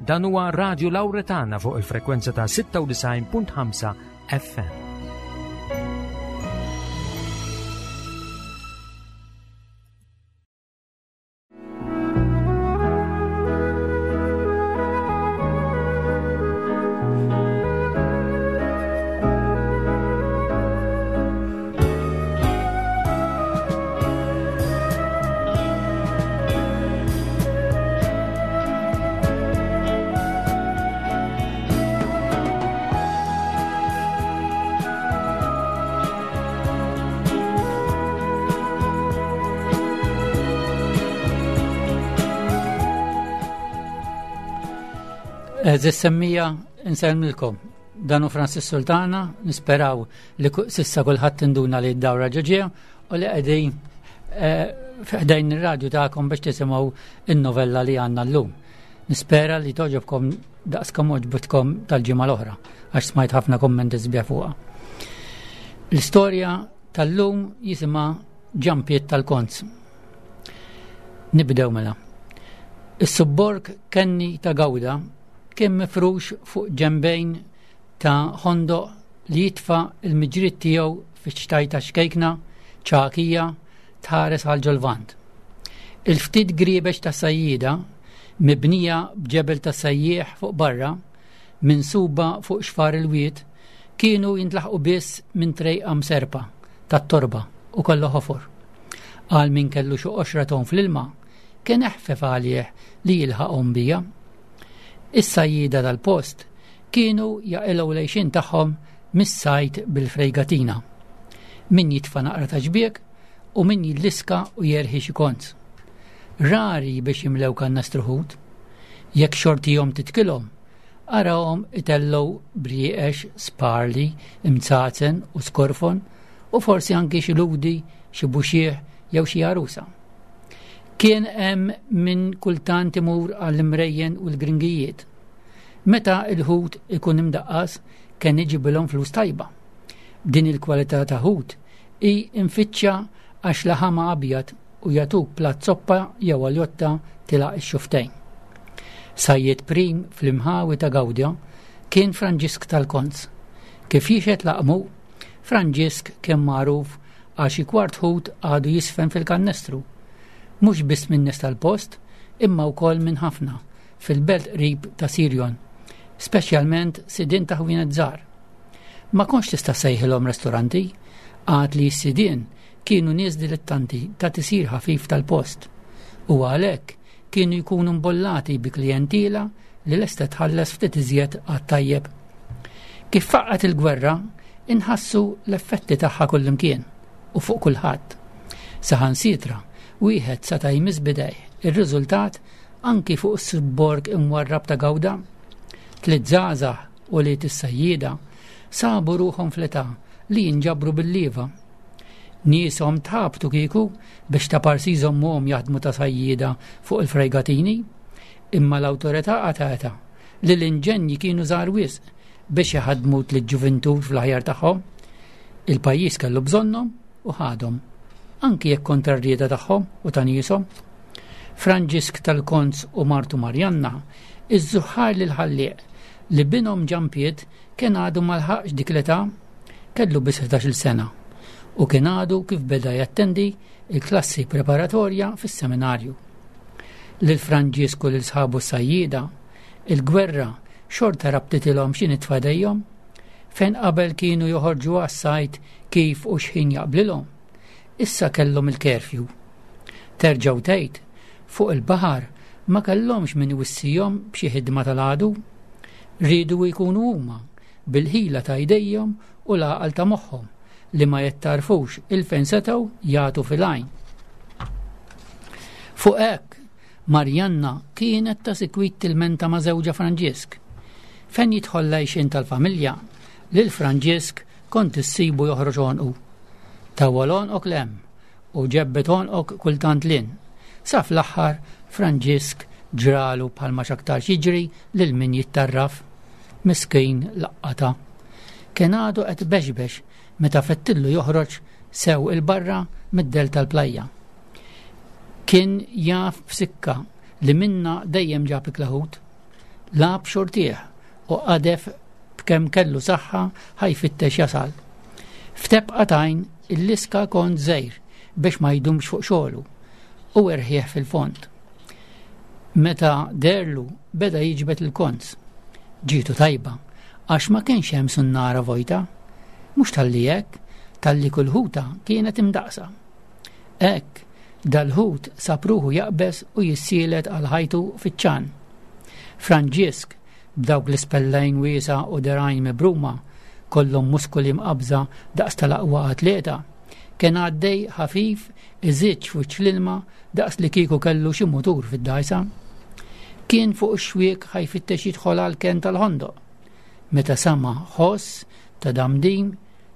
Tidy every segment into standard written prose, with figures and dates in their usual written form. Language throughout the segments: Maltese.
Dan huwa Radio Lauretana fuq il-frekwenza ta' 96.5 FM. Eżis semmija insellmilkom. Danu Francis Sultana, nisperaw li sissa kulħadd induna li d-dawra ġoġija u li qegħdin eh, f'ħdejn ir-radju tagħkom biex tisimgħu in-novella li għandna llum. Nispera li toġobkom daqskom oġbutkom tal-ġimgħa l-oħra għax smajt ħafna kommenti sbieħ fuqha. L-istorja tal-lum jisimha Ġampiet tal-Konz. Nibdew mela. Is-subborg Kenni ta' Gawda kien mifrux fuq ġembejn ta' ħondoq li jitfa' l-miġriet tiegħu fiċ-ċtajta xkejkna ċagħkija tħares għal ġol-Lvant. Il-ftit griebex tas-sajjieda, mibnija b'ġebel tas-sajjieħ fuq barra, minsuba fuq xfar il-wied, kienu jintlaħqu biss minn trejqa mserrpa tat-torba u kollha ħofor. Għal min kellu xi qoxra tgħum fl-ilma, kien eħfef għalih li jilħaqhom bija. Is-sajjieda tal-post kienu jaqilgħu l-għixien tagħhom mis-sajd bil-frejgatina. Min jitfa' naqra ta' xbiek u min jilliska u jerħi xi konz. Rari biex jimlew kannastru ħut. Jekk xortihom titkilhom, arahom itellgħu brieqex, sparli, imzazen u skorfon u forsi anki xi ludi, xi buxieħ jew xi għarusa. Kien hemm min kultant imur għall-imrejjen u l-gringijiet. Meta l-ħut ikun imdaqqas kien iġibilhom flus tajba. Din il-kwalità ta' ħut hi mfittxa għax laħamha abjad u jagħtuk platt soppa jew aljotta tilgħaq ix-xufftejn. Sajjied prim fl-imħawi ta' Gawdja kien Franġisk tal-Konz. Kif jixhed laqmu, Franġisk kien magħruf għal xi kwart ħut għadu jisfen fil-kannestru. Mhux biss min-nies tal-post, imma wkoll minn ħafna fil-belt qrib ta' Sirjon, speċjalment sidien ta' ħwienet żgħar. Ma kontx tista' ssejħilhom restoranti, għad li s-sidien kienu nies dilettanti ta' tisir ħafif tal-post u għalhekk kienu jkunu mbollati bi klijentiela li lesta tħallas ftit iżjed għat-tajjeb. Kif faqqgħet il-gwerra, inħassu l-effetti tagħha kullimkien u fuq kulħadd. Saħansitra, wieħed seta' jmiss b'idejh ir-riżultat anki fuq is-subborg imwarrab ta' Gawda. Tliet żgħażagħ ulied is-sajjieda sabu ruħhom fl-età li jinġabru bil-lieva. Nieshom tħabtu kieku biex ta' parsi jżommuhom jaħdmu ta' sajjieda fuq il-frejgatini, imma l-awtorità qatgħetha li l-inġenji kienu żgħar wisq biex iħaddmu tliet ġuvintur fl-aħjar tagħhom. Il-pajjiż kellu bżonnhom u ħadhom, anki jekk kontra r-rieda tagħhom u ta' nieshom. Franġisk tal-Konz u martu Marjanna iżżuħħar lill-Ħallieq li binhom Ġanpiet kien għadu ma lħaqx dik l-età, kellu biss 11-il sena u kien għadu kif beda jattendi il-klassi preparatorja fis-seminarju. Lil Franġisk u lil sħabu s-sajjieda, il-gwerra xorta rabtitilhom xi nitfa jdejhom, fejn qabel kienu joħorġu għas-sajd kif u x'ħin jaqblilhom, issa kellhom il-curfew. Terġa' u tgħid, fuq il-baħar ma kellhomx min iwissihom b'xi ħidma tal-għadu. Riedu jkunu huma, bil-ħila ta' jdejhom u l-għaqal ta' moħħhom, li ma jittarfux 'il fejn setgħu jagħtu fil-għajn. Fuq hekk, Marjanna kienet ta' sikwit tilmenta ma' żewġha Franġisk. Fejn jidħol l-għixien tal-familja, lil Franġisk kont issibu joħroġ għonqu. Tawwal għonqok 'l hemm u ġebbed għonqok kultant 'l hinn. Sa fl-aħħar Franġisk ġralu bħalma x'aktarx jiġri lil min jittarraf. Miskin laqqatha. Kien għadu qed ibexbex meta fettillu joħroġ sew 'il barra mid-dell tal-plajja. Kien jaf b'sikka li minnha dejjem ġab ikla ħut. Lagħab xortih u qadef b'kemm kellu saħħa ħa jfittex jasal. F'tebqa t'għajn illiska kont żgħir biex ma jdumx fuq xogħlu u erħieħ fil-fond. Meta deherlu beda jiġbed il-konz. Ġietu tajba għax ma kienx hemm sunnara vojta. Mhux talli hekk, talli kull ħuta kienet imdaqqsa. Hekk, dal-ħut sab ruħu jaqbeż u jissielet għal ħajtu fiċ-ċan. Franġisk, b'dawk l-ispellejn wiesgħa u dergħajn mibruma, kollhom muskoli mqabbża daqs tal-aqwa atleta, kien għaddej ħafif iżiġġ f'wiċċ l-ilma daqs li kieku kellu xi mutur fid-dgħajsa. Kien fuq ix-xwiek ħa jfittex jidħol għall-kenn tal-ħondoq, meta sama' ħoss ta' damdim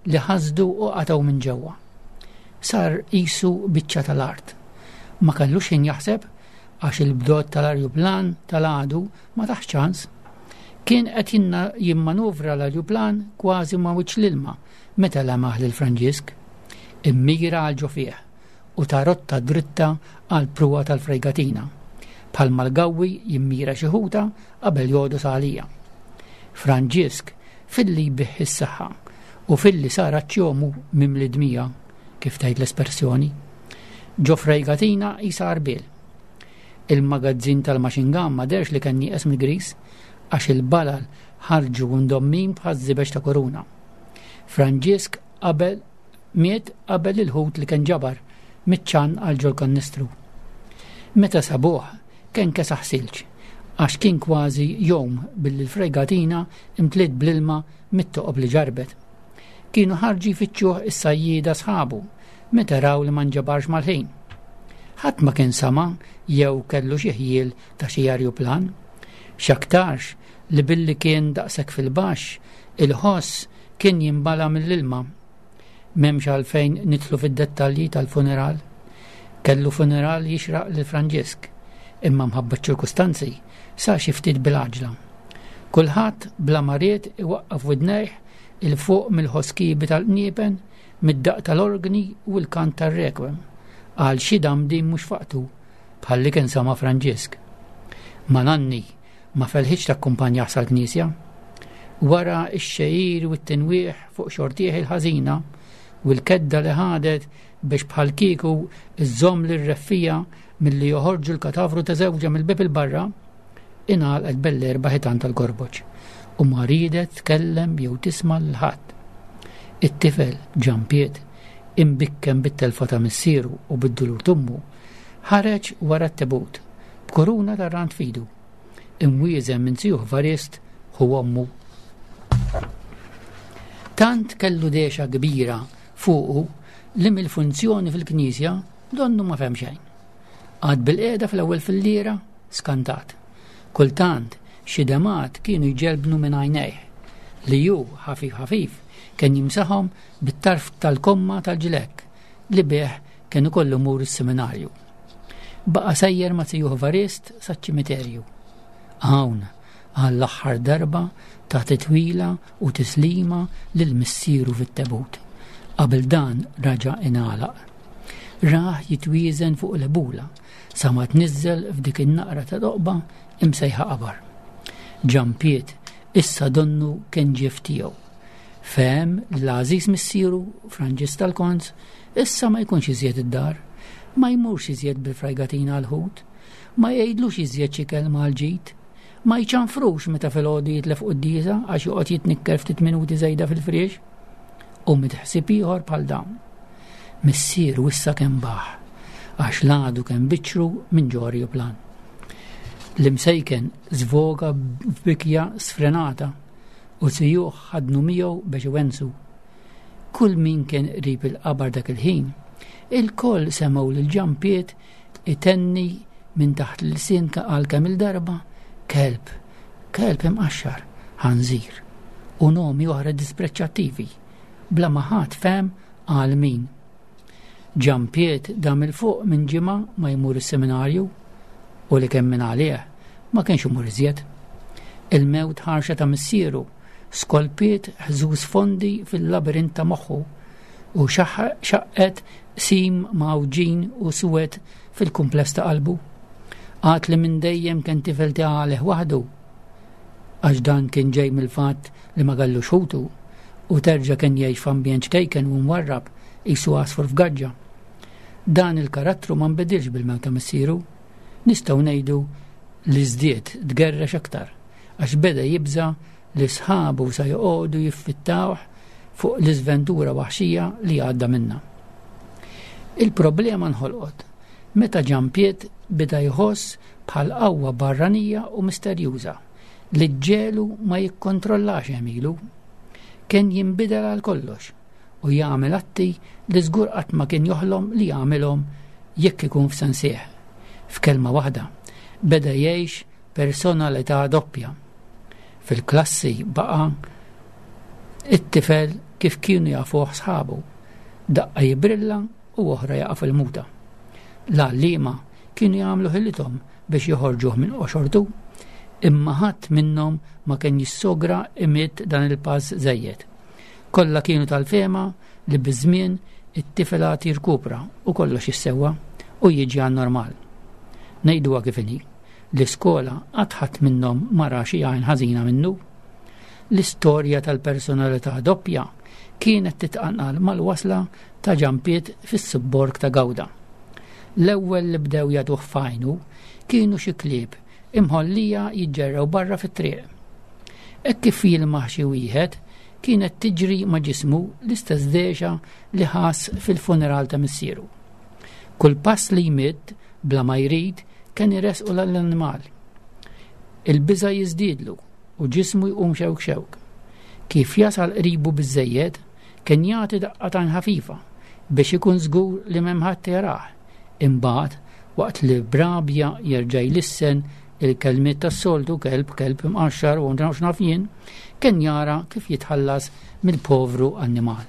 li ħasdu u qatgħu minn ġewwa. Sar qisu biċċa tal-art. Ma kellux ħin jaħseb għax il-bdot tal-arjuplan tal-għadu ma taħx ċans. Kien qed jimmanuvra l-arjuplan kważi ma' wiċċ l-ilma meta lemaħ lil Franġisk. Immira għal ġo fih u ta rotta dritta għal pruwa tal-frejgatina, bħalma l-gawwi jimmira xi ħuta qabel jogħdos għalija. Franġisk filli jbigħ is-saħħa u filli sar aċċjomu mimli dmija, kif tgħid l-espersjoni. Ġo frejgatina qisha għarbiel. Il-magazzin tal-machine gun ma dehrx li kien nieqes mill-griż għax il-balal ħarġu ndommin bħaż-żibeġ ta' kuruna. Franġisk qabel miet qabel il-ħut li kien ġabar miċ-ċann għal ġol-kannistru. Meta sabuh, kien kesaħ silġ, għax kien kważi jgħum billi l-fregatina imtliet bl-ilma mit-toqob li ġarrbet. Kienu ħarġu jfittxuh is-sajjieda sħabu meta raw li ma nġabarx mal-ħin. Ħadd ma kien sama' jew kellu xi ħjiel ta' xi arjuplan. X'aktarx li billi kien daqshekk fil-baxx, il-ħoss kien jinbala' mill-ilma. M'hemmx għalfejn nidħlu fid-dettalji tal-funeral. Kellu funeral jixraq lil Franġisk, imma mħabba ċ-ċirkustanzi sar xi ftit bil-għaġla. Kulħadd bla ma ried iwaqqaf widnejh 'il fuq mill-ħoss kiebi tal-qniepen, mid-daqq tal-orgni u l-kant tar-requiem, għal xi damdim mhux f'waqtu, bħal li kien sama' Franġisk. Ma nanni ma felħitx takkumpanjah sal-knisja. Wara x-xegħir u t-tinwieħ fuq xortih il-ħażina u l-kedda li ħadet biex bħalkieku żżomm lir-reffija milli joħorġu l-katavru ta' żewġha mill-bieb 'il barra, ingħalqet bell-erba' ħitan tal-gorboġ u ma riedet tkellem jew tisma' lil ħadd. It-tifel, Ġanpiet, imbikkem bit-telfa ta' missieru u bid-dulur t'ommu, ħareġ wara t-tebut, b'kuruna tar-rand f'idu, imwieżen minn zijuh Varist ħu ommu. Tant kellu dehxa kbira fuqu li mill-funzjoni fil-knisja donnu ma fehem xejn. Qagħad bilqiegħda fl-ewwel filliera, skantat. Kultant, xi demgħat kienu jġelbnu minn għajnejh, li hu, ħafif ħafif, kien jimsaħhom bit-tarf tal-komma tal-ġlekk li bih kien ukoll imur is-seminarju. Baqa' sejjer ma' zijuh Varist saċ-ċimiterju. Hawn, għall-aħħar darba ta titwila u tislima lil missieru fit-tebut. Qabel dan raġa' ingħalaq. Rah jitwieżen fuq l-ebula sa ma tniżżel f'dik in-naqra ta' toqba imsejħa qabar. Ġampiet issa donnu kien ġie f'tiegħu. Fehem li l-għażiż missieru, Franġisk tal-Konz, issa ma jkunx iżjed id-dar, ma jmurx iżjed bil-frajgatina għall-ħut, ma jgħidlux iżjed xi kelma għall-ġid, ma jċanfrux meta filgħodu jitlef quddiesa għax joqgħod jitnikker ftit minuti żejda fil-friex, u mitt ħsieb ieħor bħal dawn. Missieru issa kemm baħ, għax l-għadu kemm biċċru minn ġo arjuplan. L-imsejken żvoga f'bikja sfrenata u zijuh ħadnu miegħu biex iwensu. Kull min kien qrib il-qabar dak il-ħin, ilkoll semgħu lil Ġanpiet itenni minn taħt l-ilsien għal kemm il-darba, kelb, kelb imqaxxar, ħanżir, u nomi oħra dispreċċattivi, bla ma ħadd fehem għal min. Ġanpiet dam 'il fuq minn ġimgħa ma jmur is-seminarju u li kemm minn għalih ma kienx imur iżjed. Il-mewt ħarxa ta' missieru skolpiet ħżuż fondi fil-labirint ta' moħħu u xaqqet qsim mgħawġin u suwed fil-kumpless ta' qalbu. Għad li minn dejjem kien tifel ta' għalih waħdu. Għax dan kien ġej mill-fatt li ma kellux ħutu u terġa' kien jgħix f'ambjent ċkejken u mwarrab qisu għasfur f'gaġġa. Dan il-karattru ma nbidilx bil-mewt ta' missieru. Nistgħu ngħidu li żdied tgerrex aktar għax beda jibża' li sħabu sa joqogħdu jiffittawh fuq l-iżventura waħxija li għadda minnha. Il-problema nħolqot meta Ġanpiet beda jħoss bħal qawwa barranija u misterjuża li ġġegħlu ma jikkontrollax għemilu. Kien jinbidel għal kollox u jagħmel atti li żgur qatt ma kien joħlom li jagħmilhom jekk ikun f'sensih. F'kelma waħda, beda jgħix personalità doppja. Fil-klassi baqa' it-tifel kif kienu jafuh sħabu, daqqa jibrilla u oħra jaqa' fil-muta. L-għalliema kienu jagħmlu ħilithom biex joħorġuh minn qoxortu, imma ħadd minnhom ma kien jissogra imidd dan il-pass żejjed. Kollha kienu tal-fehma li biż-żmien it-tifel għad jirkupra u kollox jissewwa u jiġi għan-normal. Ngħiduha kif inhi, l-iskola qatt ħadd minnhom ma ra xi għajn ħażina minnu. L-istorja tal-personalità doppja kienet titqanqal mal-wasla ta' Ġanpiet fis-subborg ta' Gawda. L-ewwel li bdew jagħtuh f'għajnu kienu xi klieb imħollija jiġġerrew barra fit-triq. Hekk kif jilmaħ xi wieħed, kienet tiġri ma' ġismu l-istess dehxa li ħass fil-funeral ta' missieru. Kull pass li jmidd bla ma jrid kien iressqu l-annimal. Il-biża' jiżdiedlu u ġismu jqum xewk xewk. Kif jasal qribu biżżejjed, kien jagħti daqqa t'għajn ħafifa biex ikun żgur li m'hemm ħadd jarah. Imbagħad, waqt li b'rabja jerġa' jlissen il-kelmiet tas-soltu kelb, kelb imqaxxar u x'naf jien, kien jara kif jitħallas mill-povru annimal.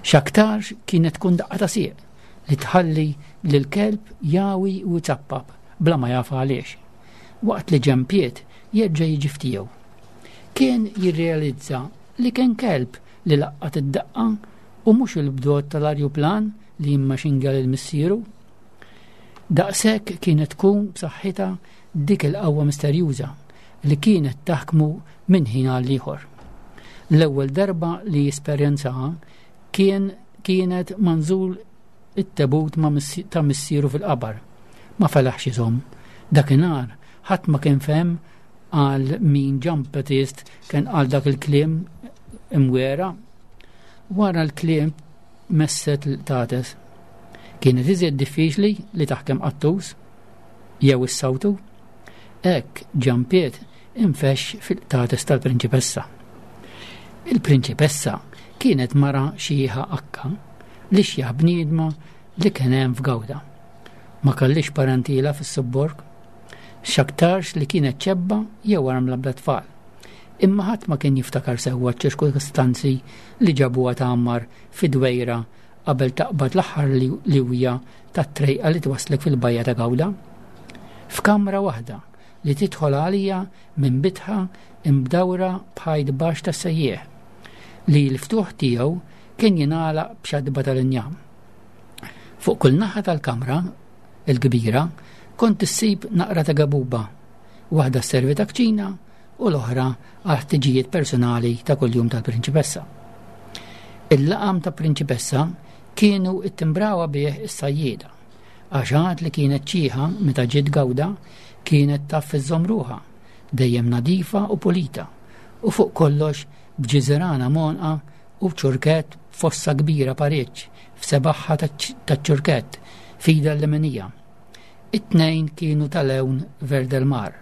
X'aktarx kienet tkun daqqa ta' sieq li tħalli lill-kelb jawi u jzappap bla ma jaf għaliex, waqt li ġempiet jerġa' jiġi f'tiegħu. Kien jirrealizza li kien kelb li laqqat id-daqqa u mhux il-bdot tal-arjuplan li jimmaxinga lil missieru. Daqshekk kienet tkun b'saħħitha dik il-qawwa misterjuża li kienet taħkmu minn ħin għal ieħor. L-ewwel darba li esperjenzaha kien kienet manżul it-tebut ta' missieru fil-qabar. Ma felaħx iżomm. Dakinhar ħadd ma kien fehem għal min Ġan Battist kien qal dak il-kliem imwera. Wara l-kliem messet l-qtates. Kienet iżjed diffiċli li taħkem qattus jew issawtu. Hekk Ġan Piet infexx fil-qtates tal-prinċipessa. Il-prinċipessa kienet mara xieħa akka li xjaħ bniedma li kien hemm f'Gawda. Ma kellix parentila fis-subborg. X'aktarx li kienet ċebba jew armla bla tfal. Imma ħadd ma kien jiftakar sewwa ċ-ċirkustanzi li ġabuha tgħammar fi dwejra qabel taqbad l-aħħar liwja tat-trejqa li twasslek fil-bajja ta' Gawda. F'kamra waħda li tidħol għalija minn bitħa imdawra b'ħajt baxx tas-sejjieħ, li l-ftuħ tiegħu kien jingħalaq b'xatba tal-injam. Fuq kull naħa tal-kamra il-kbira kont issib naqra ta' gabuba, waħda sservi ta' kċina u l-oħra għal ħtiġijiet personali ta' kuljum tal-prinċipessa. Il-laqam ta' prinċipessa kienu ittimbrawa bih is-sajjieda, għax għad li kienet ċieħa meta ġiet gawda kienet taf iżżomm ruħha, dejjem nadifa u pulita, u fuq kollox b'ġiżirana m'għonqha u b'ċurkett b'fossa kbira pariġġ f'sebaħħa taċ-ċurkett f'idha l-leminija. It-tnejn kienu ta' lewn verd-el-mar.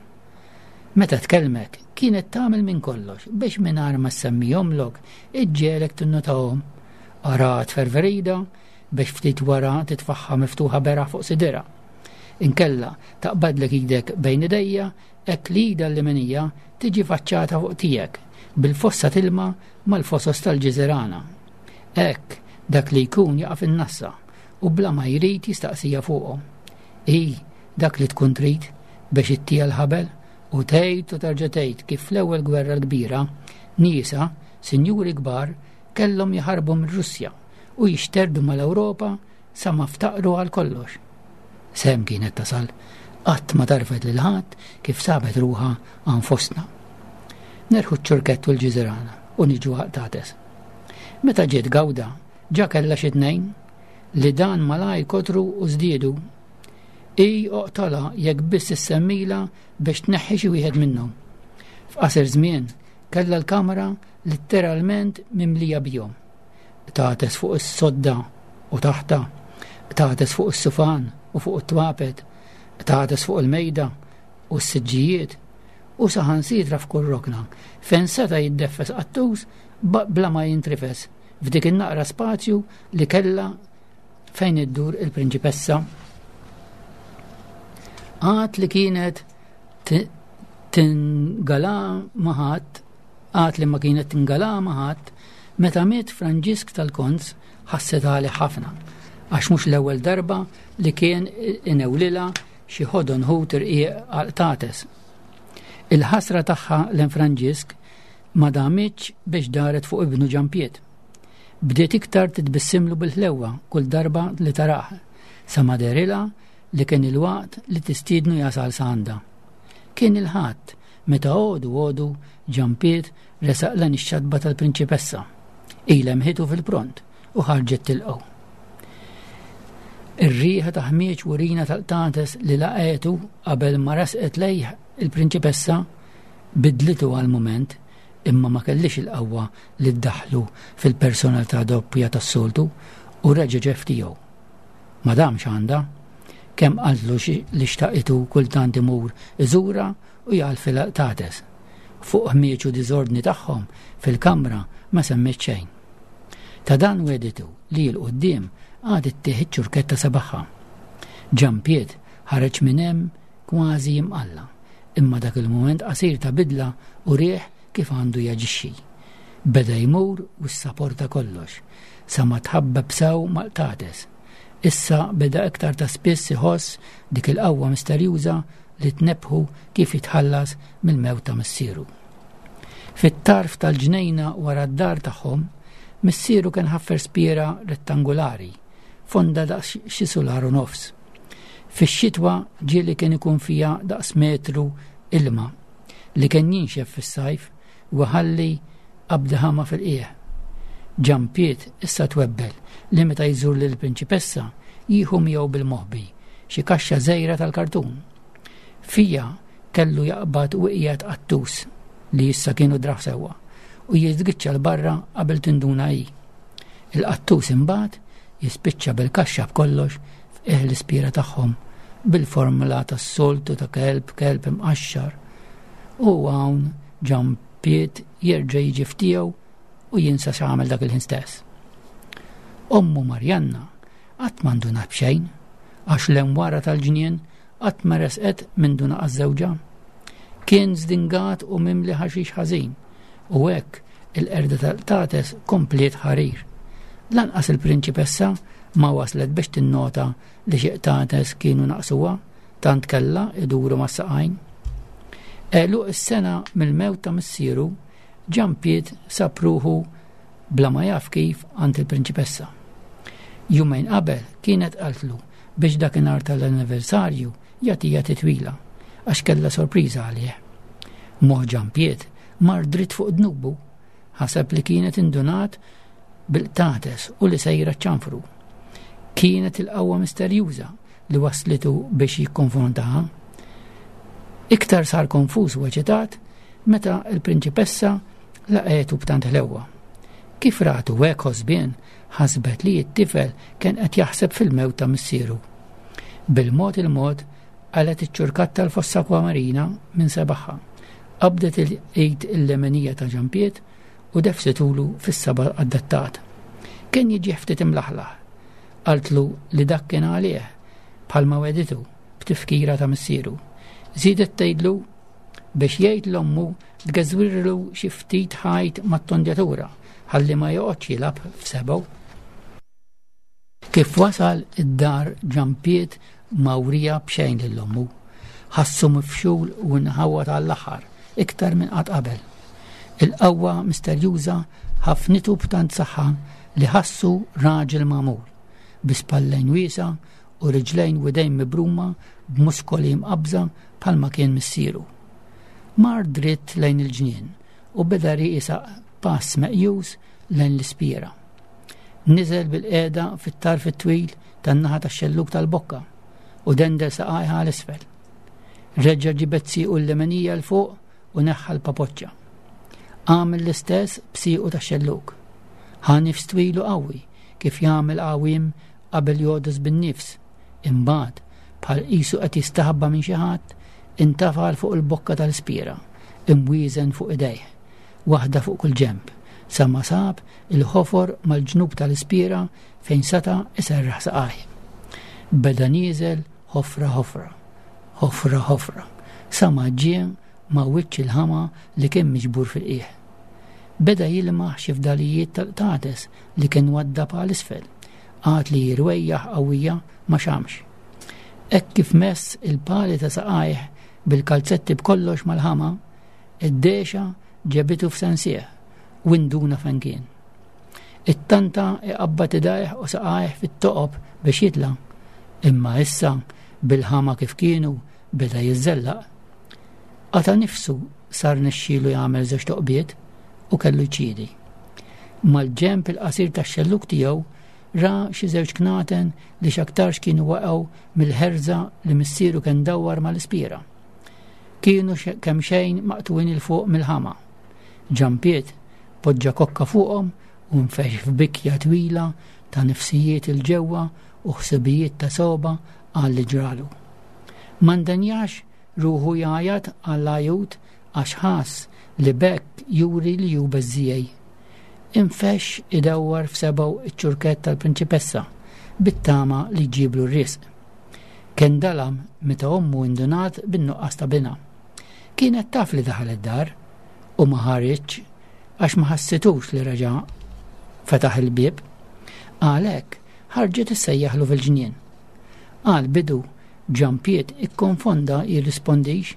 Meta tkellmek, kienet tagħmel minn kollox biex mingħajr ma ssemmihomlok iġġegħlek tinnotahom. Araha tferfer idha biex ftit wara titfagħha miftuħa beraħ fuq sidirha. Inkella taqbadlek idek bejn idejja hekk li idha l-leminija tiġi faċċata fuq tiegħek bil-fossa tilma mal-fosos tal-ġiżirana. Hekk dak li jkun jaqa' fin-nassa u bla ma jrid jistaqsija fuqhom. Hi dak li tkun trid biex ittiha l-ħabel u tgħid u terġa' tgħid kif fl-ewwel gwerra l-kbira niesha, sinjuri kbar, kellhom jaħarbu mir-Russja u jixterdu mal-Ewropa sa ma ftaqru għal kollox. S'hemm kienet tasal, qatt ma tarfet lil ħadd kif sabet ruħha hawn fostna. Nerħu ċ-ċurkett u l-ġiżirana u niġu għall-qtates. Meta ġiet Gawda, ġa kellha xi tnejn, li dan malajr kotru u żdiedu. Hi oqtolha jekk biss issemmilha biex tneħħi xi wieħed minnhom. F'qasir żmien kellha l-kamra litteralment mimlija bihom. Qtates fuq is-sodda u taħtha, qtates fuq is-sufan u fuq it-twapet, qtates fuq il-mejda u s-siġġijiet u saħansitra f'kull rokna fejn seta' jiddeffes qattus bla ma jintrifes f'dik in-naqra spazju li kellha fejn iddur il-prinċipessa. Għad li kienet tingala ma' ħadd, għad li ma kienet tingala ma' ħadd, meta miet Franġisk tal-Konz ħasset għalih ħafna, għax mhux l-ewwel darba li kien inewlilha xi ħodon ħut irqiq għal qtates. Il-ħasra tagħha lejn Franġisk ma damitx biex daret fuq ibnu Ġanpiet. Bdiet iktar titbissimlu bil-ħlewwa kull darba li tarah, sa ma dehrilha li kien il-waqt li tistiednu jasal sa għandha. Kien il-Ħadd meta għodu għodu Ġanpiet resaq lejn ix-xatba tal-prinċipessa. Hi lemħitu fil-pront u ħarġet tilqgħu. Ir-riħa ta' ħmieġ u rina tal-qtates li laqgħetu qabel ma resqet lejh il-prinċipessa bidlitu għal mument imma ma kellhiex il-qawwa li ddaħħlu fil-personalità doppja tas-soltu u reġa' ġie f'tiegħu. Ma damx għandha. Kemm qaltlu li xtaqitu kultant imur iżurha u jgħalfilha l-qtates. Fuq ħmieġ u diżordni tagħhom fil-kamra ma semmiet xejn. Ta' dan wegħditu li 'l quddiem għad ittih iċ-ċurkett ta' sebagħha. Ġanpiet ħareġ minn hemm kważi jimqalla', imma dak il-mument qasir ta' bidla urieh kif għandu jaġixxi. Beda jmur u ssaporta kollox, sa ma tħabbeb sew mal-qtates. Issa beda iktar ta' spiss iħoss dik il-qawwa misterjuża li tnebbħu kif jitħallas mill-mewt ta' missieru. Fit-tarf tal-ġnejna wara d-dar tagħhom, missieru kien ħaffer spiera rettangolari, fonda daqs xi sular u nofs. Fix-xitwa ġieli kien ikun fiha daqs metru ilma li kien jinxef fis-sajf u ħalli qabda ħama fil-qiegħ. Ġampiet issa twebbel li meta jżur lill-prinċipessa jieħu miegħu bil-moħbi xi kaxxa żgħira tal-kartun. Fija kellu jaqbad u iqiegħed qattus li issa kienu draħ sewwa u jiżgiċċa 'l barra qabel tinduna hi. Il-qattus imbagħad jispiċċa bil-kaxxa b'kollox f'qiegħ l-ispira tagħhom bil-formula tas-soltu ta' kelb kelb imqaxxar. U hawn ġampiet jerġa' jiġi f'tiegħu u jinsa x'għamel dak il-ħin stess. Ommu Marjanna qatt ma ndunat b'xejn għax l-emwara tal-ġnien qatt ma resqet mindu naqas żewġha. Kien żdingat u mimli ħaxix ħażin u hekk il-qerda tal-qtates kompliet ħarir. Lanqas il-prinċipessa ma waslet biex tinnota li xi qtates kienu naqsuha tant kellha iduru mas-saqajn. Għeluq is-sena mill-mewt ta' missieru, Ġanpiet sab ruħu bla ma jaf kif għand il-prinċipessa. Jumejn qabel kienet qaltlu biex dakinhar tal-anniversarju jagħtiha titwila għax kellha sorpriża għalih. Moħħ Ġanpiet mar dritt fuq dnubu, ħaseb li kienet indunat bil-qtates u li sejra ċ-ċanfru. Kienet il-qawwa misterjuża li wasslitu biex jikkonfrontaha. Iktar sar konfuż u eċitat meta l-prinċipessa laqgħetu b'tant ħlewwa. Kif ratu hekk ħosbien, ħasbet li t-tifel kien qed jaħseb fil-mewt ta' missieru. Bil-mod il-mod qalgħet iċ-ċurkat tal-fossa akwamarina minn sebagħha, qabdet il-id il-lemenija ta' Ġanpiet u defsitulu fis-saba' adattat. Kien jiġih ftit imlaħlaħ. Qaltlu li dak kien għalih, bħalma wegħditu, b'tifkira ta' missieru. Żiedet tgħidlu biex jgħid l-ommu tgeżwirlu xi ftit ħajt mat-tondjatura ħalli ma joqgħodx jilgħab f'sebgħu. Kif wasal id-dar Ġanpiet ma wriha b'xejn lil ommu. Ħassu mifxul u nħawwad għall-aħħar, iktar minn qatt qabel. Il-qawwa misterjuża ħafnitu b'tant saħħa li ħassu raġel magħmul, bi spallejn wiesgħa u riġlejn u idejn mibruma b'muskoli mqabbża bħalma kien missieru. Mar dritt lejn il-ġnien. u beda riesaq pass meqjus lejn l-ispiera. Niżel bil-qiegħda fit-tarf it-twil tan-naħa tax-xellug tal-bokka u dendel saqajha għal isfel. Reġa' ġibed siequ l-lemenija 'l fuq u neħħa l-papoċċa. Għamel l-istess b'siequ tax-xellug. Ħa nifs twil u qawwi kif jagħmel għawiem qabel jogħdos bin-nifs. Imbagħad, bħal qisu qed jistaħba minn xi ħadd, intafa' 'l fuq il-bokka tal-ispiera, imwieżen fuq idejh, waħda fuq kull ġenb, sa ma sab il-ħofor mal-ġnub tal-ispiera fejn seta' iserraħ saqajh. Beda nieżel ħofra ħofra, ħofra ħofra, sa ma ġie ma' wiċċ il-ħama li kien miġbur fil-qiegħ. Beda jilmaħ xi fdalijiet tal-qtates li kien waddab għal isfel, għad li rwejjaħ qawwija ma xamx. Hekk kif mess il-pali ta' saqajh bil-kalzetti b'kollox mal-ħama, id-dehxa ġabitu f'sensih u induna fejn kien. Ittanta iqabbad idajh u saqajh fit-toqob biex jitla', imma issa bil-ħama kif kienu beda jiżżellaq. Qata' nifsu sa rnexxielu jagħmel żewġ toqbiet u kellu jċiedi. Mal-ġenb il-qasir tax-xellug tiegħu ra xi żewġ knaten li x'aktarx kienu waqgħu mill-ħerża li missieru kien dawwar mal-ispiera. Kienu kemxejn maqtugħin 'il fuq mill-ħama. Ġampiet poġġa kokka fuqhom u nfexx f'bikja twila ta' nifsijiet 'il ġewwa u ħsibijiet ta' sogħba għal li ġralu. Ma ndenjax ruħu jgħajjat għall-għajut għax ħass li b'hekk juri li hu beżżiegħi. Infexx idawwar f'sebgħu ċ-ċurkett tal-prinċipessa bit-tama li jġiblu r-risq. Kien dalam meta ommu indunat bin-nuqqas ta' binha. Kienet taf li daħal id-dar u ma ħariġx għax ma ħassitux li reġa' fetaħ il-bieb. Għalhekk ħarġet issejjaħlu fil-ġnien. Għal bidu Ġampiet ikkonfonda jirrispondix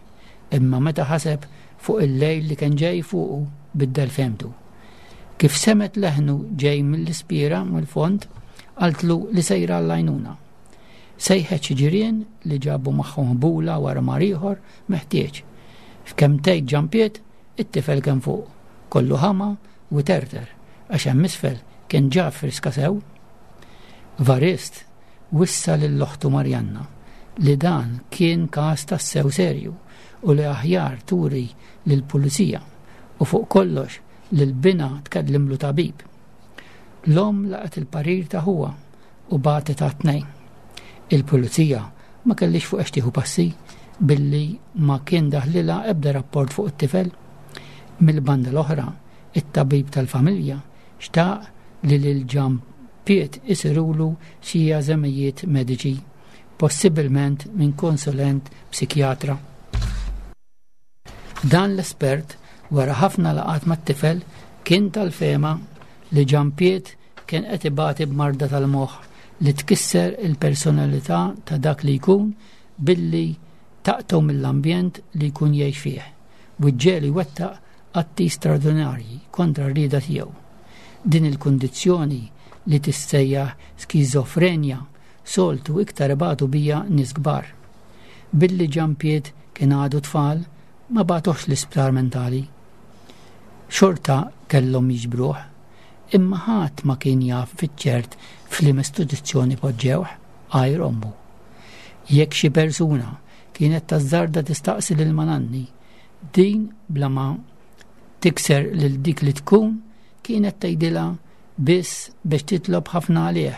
imma meta ħaseb fuq il-lejl li kien ġej fuqu biddel fehmtu. Kif semgħet leħnu ġej mill-ispiera mill-fond, qaltlu li sejra għall-għajnuna. Sejħet xi ġirien li ġabu magħhom ħbula u armar ieħor meħtieġ. F'kemm tgħid Ġampiet, it-tifel kien fuq, kollu ħama u iterter għax hemm isfel kien ġa friska sew. Varist wissa lil oħtu Marianna li dan kien każ tassew serju u li aħjar turi lill-pulizija u fuq kollox lil binha tkellimlu tabib. L-omm laqgħet il-parir ta' ħuha u bagħtet għat-tnejn. Il-pulizija ma kellhiex fuq għex tieħu passi billi ma kien daħlilha ebda rapport fuq it-tifel. Mill-banda l-oħra, it-tabib tal-familja xtaq li lil Ġampiet isirulu xi eżamijiet mediċi, possibilment minn konsulent psikjatra. Dan l-espert, wara ħafna laqgħat mat-tifel, kien tal-fehma li Ġampiet kien qed ibati b'marda tal-moħħ li tkisser il-personalità ta' dak li jkun billi taqtgħu mill-ambjent li jkun jgħix fih u ġġegħlu jwettaq atti straordinarji kontra r-rieda tiegħu. Din il-kundizzjoni li tissejjaħ skiżofrenja soltu iktar ibatu biha nies kbar. Billi Ġampiet kien għadu tfal, ma bagħtuhx l-isptar mentali. Xorta kellhom jiġbruh, imma ħadd ma kien jaf fiċ-ċert f'liema istituzzjoni poġġewh għajr ommu. Jekk xi persuna kienet tażżarda tistaqsi lil Mananni Din bla ma tikser lil dik li tkun kienet tgħidilha biss biex titlob ħafna għalih,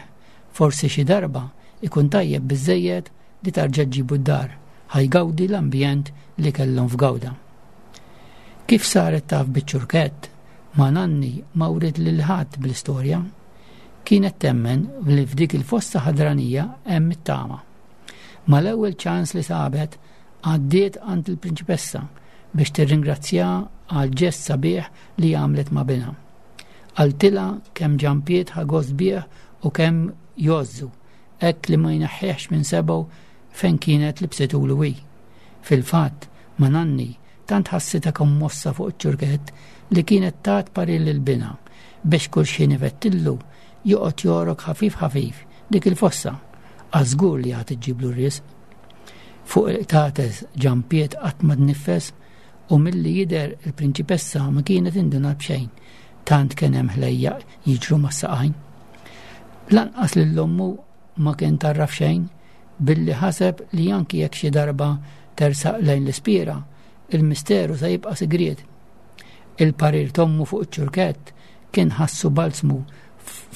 forsi xi darba ikun tajjeb biżżejjed li tarġa' ġġibu d-dar ħa jgawdi l-ambjent li kellhom f'Gawda. Kif saret taf biċ-ċurkett, ma nanni ma wriet lil ħadd bl-istorja. Kienet temmen li f'dik il-fossa ħadranija hemm it-tama. Mal-ewwel ċans li sabet, Għaddiet għand il-prinċipessa biex tirringrazzjaha għall-ġest sabiħ li għamlet ma' binha. Qaltilha kemm Ġampiet ħa gost bih u kemm jgħożżu, hekk li ma jneħħihx minn sebgħu fejn kienet libsitulu hi. Fil-fatt, ma' Nanni tant ħassitha kommossa fuq iċ-ċurkett li kienet tat parir lil binha biex kull xħin ifettillu joqgħod jogħrok ħafif ħafif dik il-fossa, għax żgur li għad iġġiblu r-risq. Fuq il-qtates ġampiet qatt ma tniffes U milli jidher il-prinċipessa ma kienet indunat b'xejn, tant kien hemm ħlejjaq jiġru mas-saqajn. Lanqas lil ommu ma kien tarraf xejn billi ħaseb li anki jekk xi darba tersaq lejn l-ispira, il-misteru se jibqa' sigriet. Il-parir t'ommu fuq iċ-ċurkett kien ħassu balzmu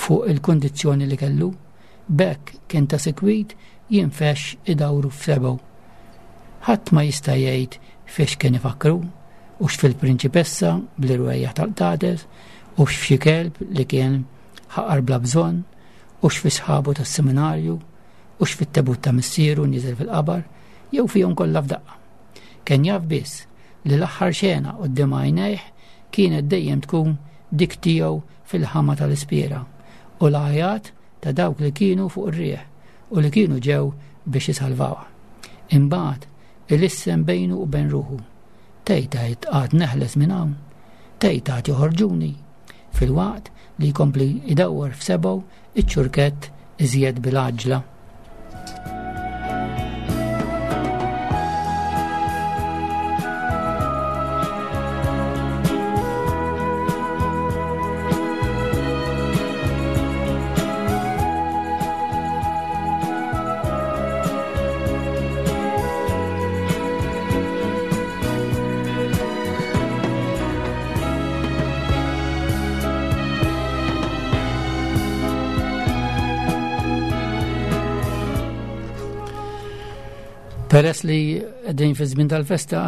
fuq il-kundizzjoni li kellu. B'hekk kien ta' sikwit jinfexx idawru f'sebgħu. Ħadd ma jista' jgħid fiex kien ifakkru, hux fil-prinċipessa bl-irwejjaħ tal-qtates, hux f'xi kelb li kien ħaqar bla bżonn, hux fi sħabu tas-seminarju, hux fit-tebut ta' missieru nieżel fil-qabar, jew fihom kollha f'daqqa. Kien jaf biss li l-aħħar xena quddiem għajnejh kienet dejjem tkun dik tiegħu fil-ħama tal-ispiera u l-għajat ta' dawk li kienu fuq ir-riħ u li kienu ġew biex isalvawh. Imbagħad ilissen bejnu u bejn ruħu. Tgħid għid għad neħles minn hawn? Tgħid għad joħorġuni? Filwaqt li jkompli jdawwar f'sebgħu iċ-ċurkett iżjed bil-għaġġla. Peress li qegħdin fi żmien tal-festa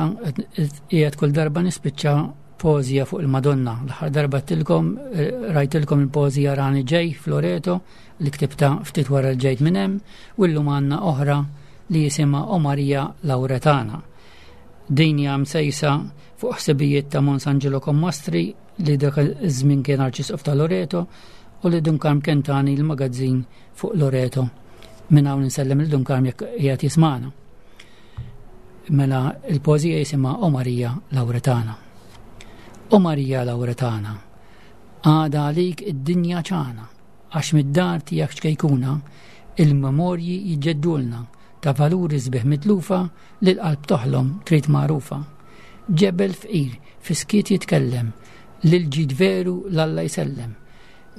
qiegħed kull darba nispiċċa pożija fuq il-Madonna. L-aħħar darba tilkom eh, rajtilkom il-pożija Rani Ġej Floreto li ktibta ftit wara l-ġejt minn hemm u llum għandna oħra li jisimha O Marija Lauretana. Din hija msejsa fuq ħsibijiet ta' Mons Angelo Commastri li dak iż-żmien kien Arċisqof ta' Loreto u li Dun Karm kien tani l-magazzin fuq Loreto. Minn hawn insellem lil Dun Karm jekk qiegħed jismagħna. Mela il-poeżija jisimha O Marija Lauretana. O Marija Lauretana, għada għalik id-dinja ċana, għax mid-dar tiegħek ċkejkuna, il-memorji jiġġeddulna ta' valuri sbieħ mitlufa li l-qalb toħlom trid magħrufa. Ġebel fqir fis-skiet jitkellem, li l-ġid veru 'l Alla jsellem.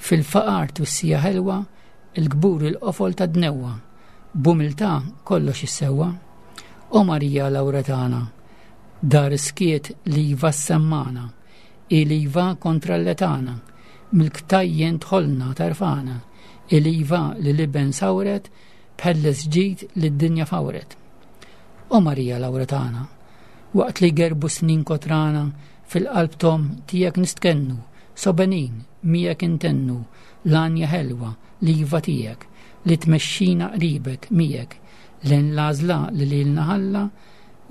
Fil-faqar twissija ħelwa, il-kbur il-qofol tad-dnewwa, b'umiltà kollox issewwa. O Marija Lawretana, dar is-skiet l-iva ssemmagħna, hi l-iva kontra l-letana, mill-ktajjen dħolna terfagħna, hi l-iva li l-Iben sawret, b'ħelles ġid lid-dinja fawret. O Marija Lawretana, waqt li jgerbu snin kotrana, fil-qalb t'omm tiegħek nistkennu, sobenin miegħek intennu l-għanja ħelwa, l-iva tiegħek, li tmexxina qribek miegħek, lejn l-għażla li lilna ħalla,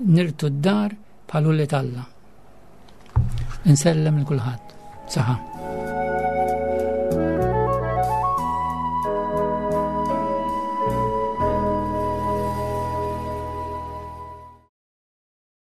nirtu d-dar bħal ulied Alla. Insellem lil kulħadd. Saħa.